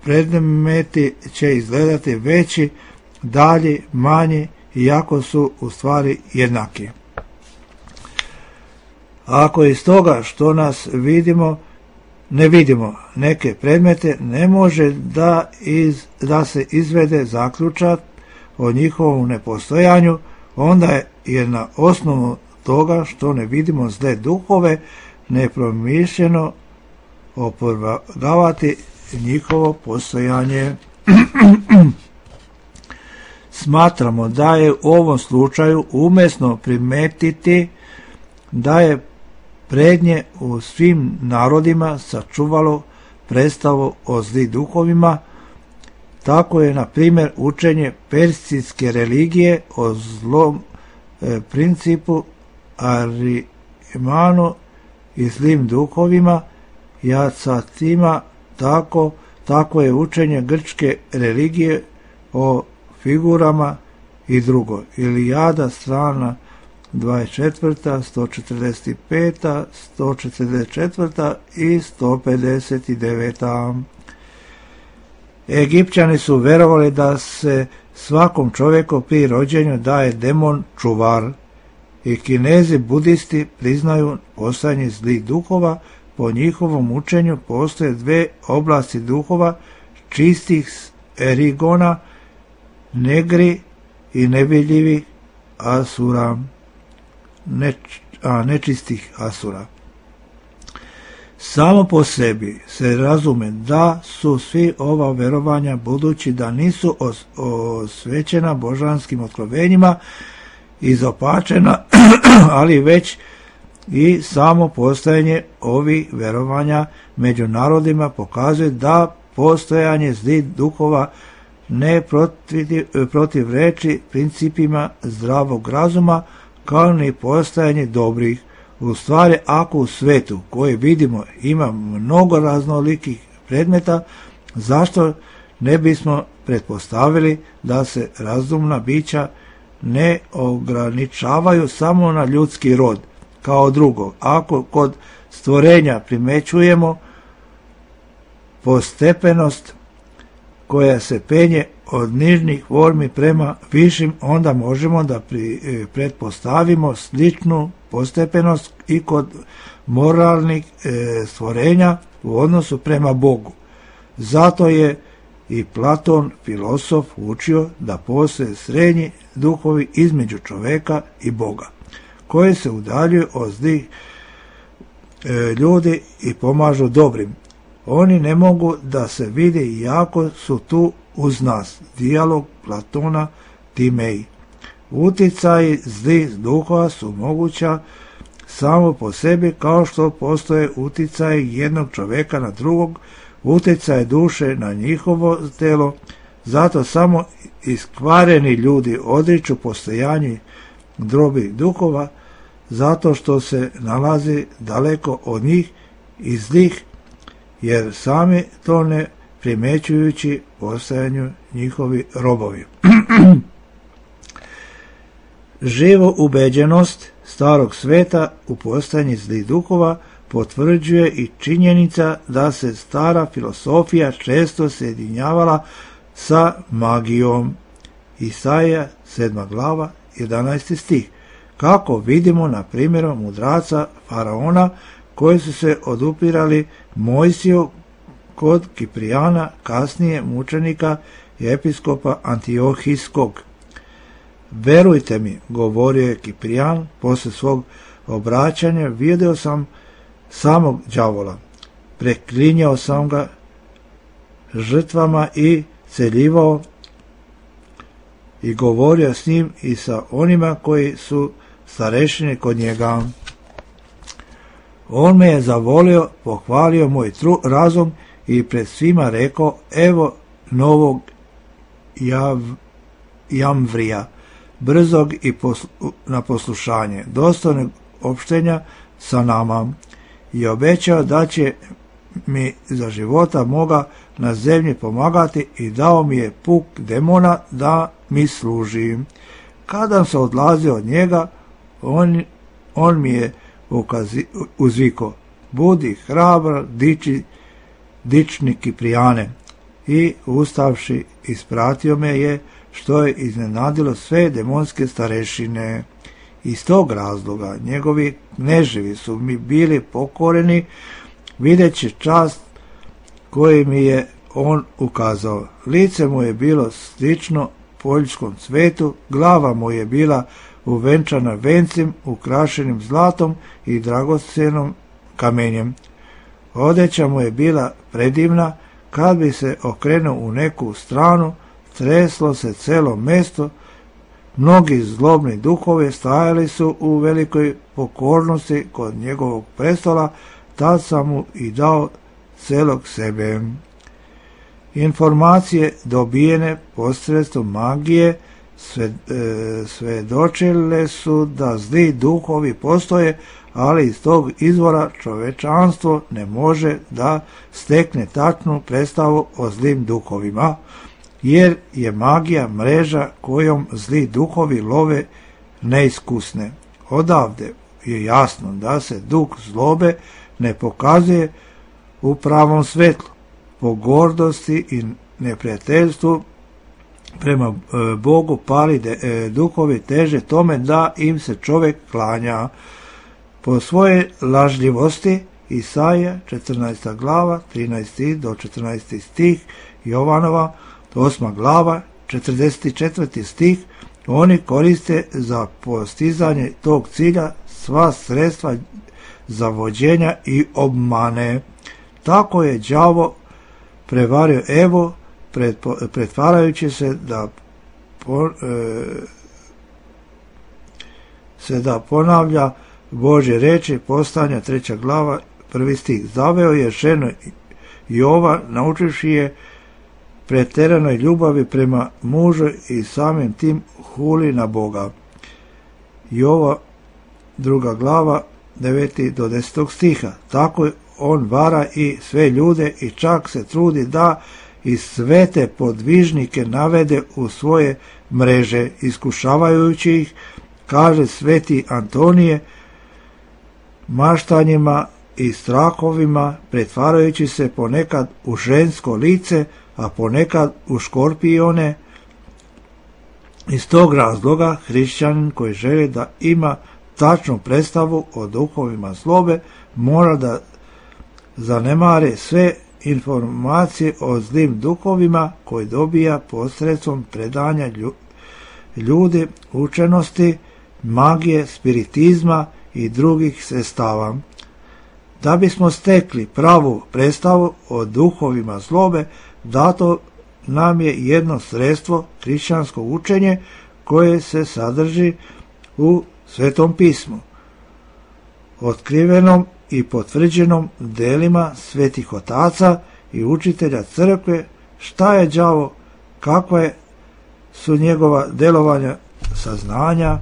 predmeti će izgledati veći, dalji, manji, iako su u stvari jednaki. Ako iz toga što nas vidimo, ne vidimo neke predmete, ne može da, iz, da se izvede zaključak o njihovom nepostojanju, onda je na osnovu toga što ne vidimo zle duhove nepromišljeno opovrgavati njihovo postojanje. Smatramo da je u ovom slučaju umesno primetiti da je prednje u svim narodima sačuvalo predstavu o zlih duhovima. Tako je, na primjer, učenje persijske religije o zlom e, principu Arimanu i zlim duhovima, Jacatima. Tako, tako je učenje grčke religije o figurama i drugo. Ilijada, strana dvadeset četvrta, sto četrdeset peta, sto četrdeset četvrta i sto pedeset deveta. Egipćani su verovali da se svakom čovjeku pri rođenju daje demon čuvar, i Kinezi budisti priznaju postojanje zlih duhova. Po njihovom učenju postoje dve oblasti duhova, čistih Erigona, negri i nevidljivi asura, neč, a, nečistih asura. Samo po sebi se razume da su svi ova verovanja, budući da nisu os, osvećena božanskim otkrovenjima, izopačena, ali već i samo postojanje ovih verovanja među narodima pokazuje da postojanje zlih duhova ne protiv, protiv reči principima zdravog razuma, kao ni postojanje dobrih. U stvari, ako u svetu koji vidimo ima mnogo raznolikih predmeta, zašto ne bismo pretpostavili da se razumna bića ne ograničavaju samo na ljudski rod? Kao drugo, ako kod stvorenja primećujemo postepenost koja se penje od nižnih formi prema višim, onda možemo da pri, e, pretpostavimo sličnu postepenost i kod moralnih e, stvorenja u odnosu prema Bogu. Zato je i Platon, filosof, učio da postoje srednji duhovi između čoveka i Boga, koji se udaljuju od zlih e, ljudi i pomažu dobrim. Oni ne mogu da se vide iako su tu uz nas. Dijalog Platona Timej. Uticaji zlih duhova su moguća samo po sebi, kao što postoje uticaji jednog čoveka na drugog, uticaj duše na njihovo telo. Zato samo iskvareni ljudi odriču postojanje drobih duhova, zato što se nalazi daleko od njih i zlih, jer sami to ne primećujući postojanju njihovi robovi. Živo ubeđenost starog sveta u postojanje zlih duhova potvrđuje i činjenica da se stara filosofija često sjedinjavala sa magijom. Isaija sedma glava jedanaesti stih. Kako vidimo na primjeru mudraca faraona koji su se odupirali Mojsiju kod Kiprijana, kasnije mučenika i episkopa Antiohijskog. Verujte mi, govorio je Kiprijan posle svog obraćanja, vidio sam samog đavola, preklinjao sam ga žrtvama i celjivao i govorio s njim i sa onima koji su starešini kod njega. On me je zavolio, pohvalio moj tru, razum i pred svima rekao, evo novog jav, jamvrija, brzog i poslu, na poslušanje, dostojnog opštenja sa nama, i obećao da će mi za života moga na zemlji pomagati i dao mi je puk demona da mi služi. Kada se odlazio od njega, on, on mi je ukazi, uzviko, budi hrabar, diči, dični Kiprijane, i ustavši ispratio me je, što je iznenadilo sve demonske starešine. Iz tog razloga njegovi kneževi su mi bili pokoreni, videći čast koji mi je on ukazao. Lice mu je bilo slično poljskom cvetu, glava mu je bila uvenčana vencem, ukrašenim zlatom i dragocenom kamenjem. Odeća mu je bila predivna, kad bi se okrenuo u neku stranu, treslo se celo mesto. Mnogi zlobni duhovi stajali su u velikoj pokornosti kod njegovog prestola, tad sam mu i dao celog sebe. Informacije dobijene posredstvom magije sve, e, svedočile su da zli duhovi postoje, ali iz tog izvora čovečanstvo ne može da stekne tačnu predstavu o zlim duhovima, jer je magija mreža kojom zli duhovi love neiskusne. Odavde je jasno da se duh zlobe ne pokazuje u pravom svetlu, po gordosti i neprijateljstvu prema Bogu pali de, duhovi teže tome da im se čovjek klanja. Po svoje lažljivosti Isaija četrnaesta glava trinaesti do četrnaesti stih Jovanova osma glava, četrdeset četvrti stih, oni koriste za postizanje tog cilja sva sredstva zavođenja i obmane. Tako je đavo prevario Evu, pretvarajući se da po, e, se da ponavlja Božje reči, Postanja treća glava, prvi stih. Zaveo je ženu Jova, naučivši je preteranoj ljubavi prema mužu i samim tim huli na Boga. Jova druga glava, deveti do desetog stiha. Tako on vara i sve ljude i čak se trudi da i svete podvižnike navede u svoje mreže, iskušavajući ih, kaže sveti Antonije, maštanjima i strahovima, pretvarajući se ponekad u žensko lice, a ponekad u škorpione. Iz tog razloga hrišćanin koji želi da ima tačnu predstavu o duhovima zlobe mora da zanemare sve informacije o zlim duhovima koji dobija posredstvom predanja ljudi, učenosti, magije, spiritizma i drugih sredstava. Da bismo stekli pravu predstavu o duhovima zlobe, dato nam je jedno sredstvo, hrišćansko učenje, koje se sadrži u Svetom pismu, otkrivenom i potvrđenom delima svetih otaca i učitelja crkve, šta je đavo, kakva je su njegova delovanja, saznanja,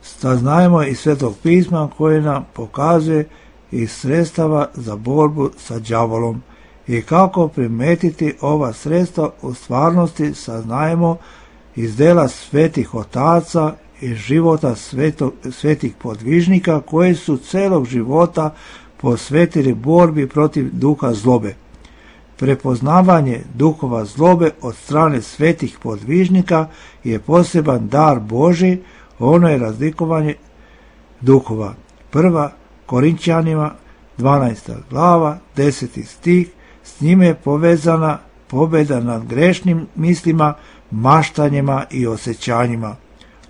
saznajemo iz Svetog pisma koje nam pokazuje i sredstava za borbu sa đavolom i kako primetiti ova sredstva u stvarnosti saznajemo iz dela svetih otaca i života svetog, svetih podvižnika koji su celog života posvetili borbi protiv duha zlobe. Prepoznavanje duhova zlobe od strane svetih podvižnika je poseban dar Božji, ono je razlikovanje duhova. Prva Korinćanima dvanaesta glava, deseti stih, s njime je povezana pobjeda nad grešnim mislima, maštanjima i osjećanjima.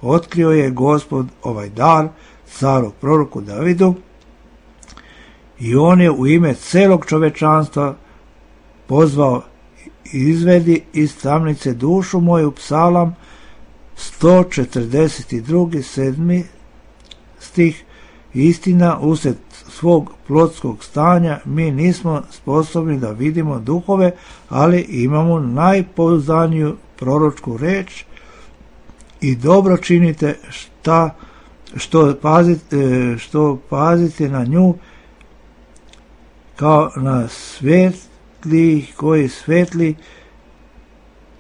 Otkrio je Gospod ovaj dar caru proroku Davidu i on je u ime celog čovečanstva pozvao, izvedi iz tamnice dušu moju, psalam sto četrdeset dva. sedmi stih. Istina, usred svog plotskog stanja mi nismo sposobni da vidimo duhove, ali imamo najpouzdaniju proročku reč i dobro činite šta, što, pazite, što pazite na nju kao na svetli koji svetli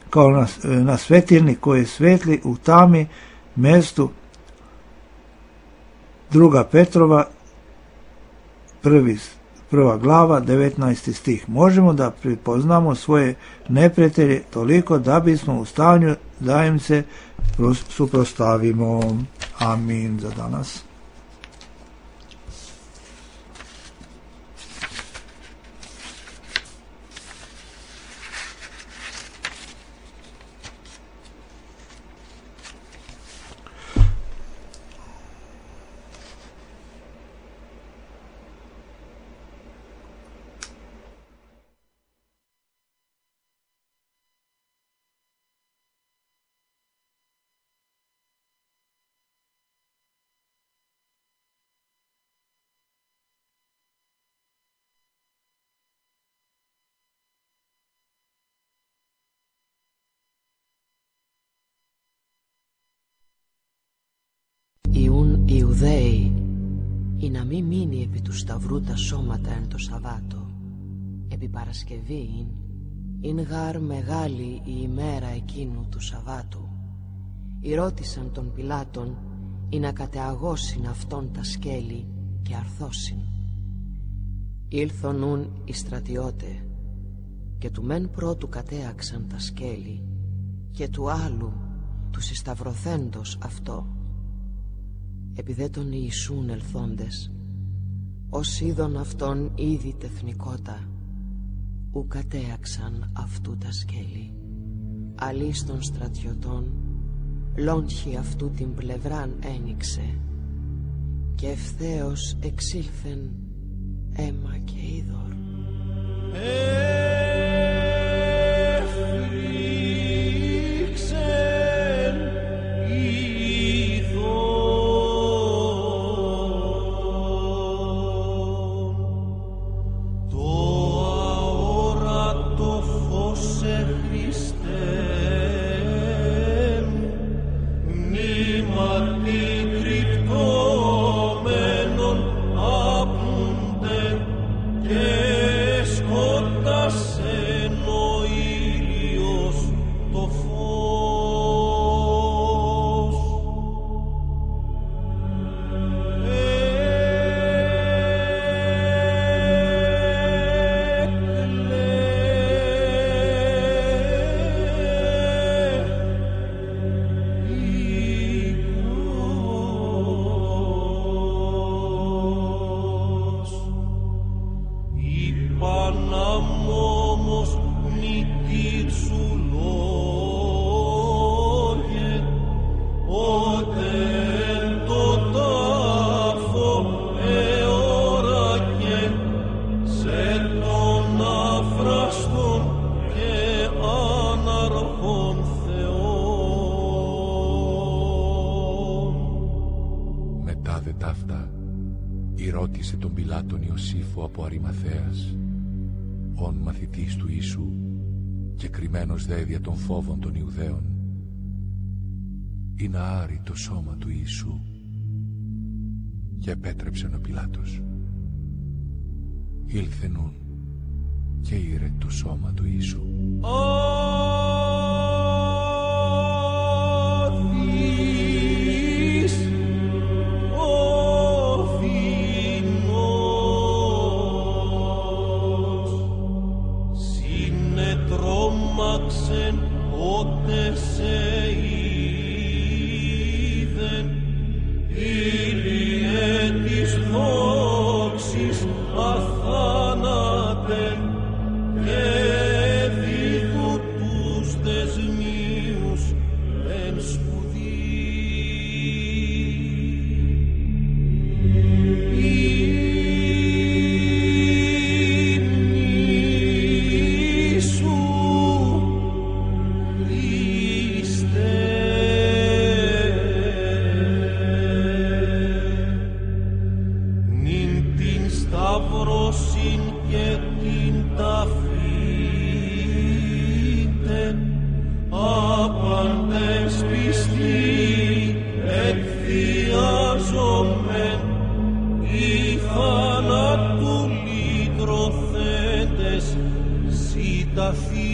kao na, na svetilni koji svetli u tami mestu. Druga Petrova prvi, prva glava, devetnaesti stih. Možemo da prepoznamo svoje neprijatelje toliko da bismo u stanju da im se suprotstavimo. Amin za danas. Ιούν Ιουδαίοι ή να μη μείνει επί του σταυρού τα σώματα εν το Σαββάτο. Επί Παρασκευήν, ειν γάρ μεγάλη η ημέρα εκείνου του Σαββάτου. Ηρώτησαν τον Πιλάτον ή να κατεαγώσιν αυτόν τα σκέλη και αρθώσιν. Ήλθον ούν οι στρατιώτε και του μεν πρώτου κατέαξαν τα σκέλη και του άλλου του συσταυρωθέντος αυτό. Επί δε τον Ιησούν ελθόντες, ως είδον αυτόν ήδη τεθνικότα, ου κατέαξαν αυτού τα σκέλη, αλής των στρατιωτών, λόγχη αυτού την πλευράν ένοιξε, και ευθέως εξήλθεν αίμα και είδωρ. Έφρυξεν είδωρ, το αόρατο φως Χριστέ, μνήματι κρυπτόμενον άπνονται και σκότασεν ο ήλιος το φως. Μετά δε ταύτα ηρώτησε τον Πιλάτον Ιωσήφο από Αριμαθαίας, ον μαθητής του Ιησού και κρυμμένος δε δια των φόβων των Ιουδαίων, ή να άρει το σώμα του Ιησού. Και επέτρεψεν ο Πιλάτος. Ήλθε νουν και ήρε το σώμα του Ιησού. Συνετρόμαξεν ότε σε είδεν, ήλιε της δόξης αθάνατεν, και δίδου τους δεσμίους εν σπουδή. Σταυρώσιν και την ταφήτεν, άπαντες πιστοί εκθιάζομεν, οι θάνατου λυτρωθέντες συνταφή.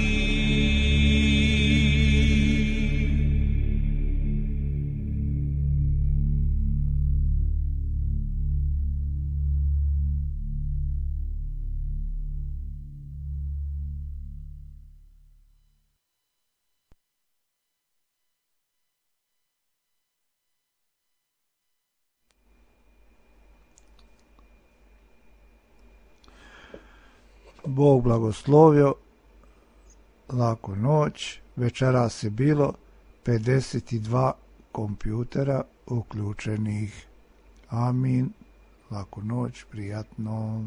Bog blagoslovio, laku noć. Večeras je bilo pedeset dva kompjutera uključenih. Amin. Laku noć, prijatno.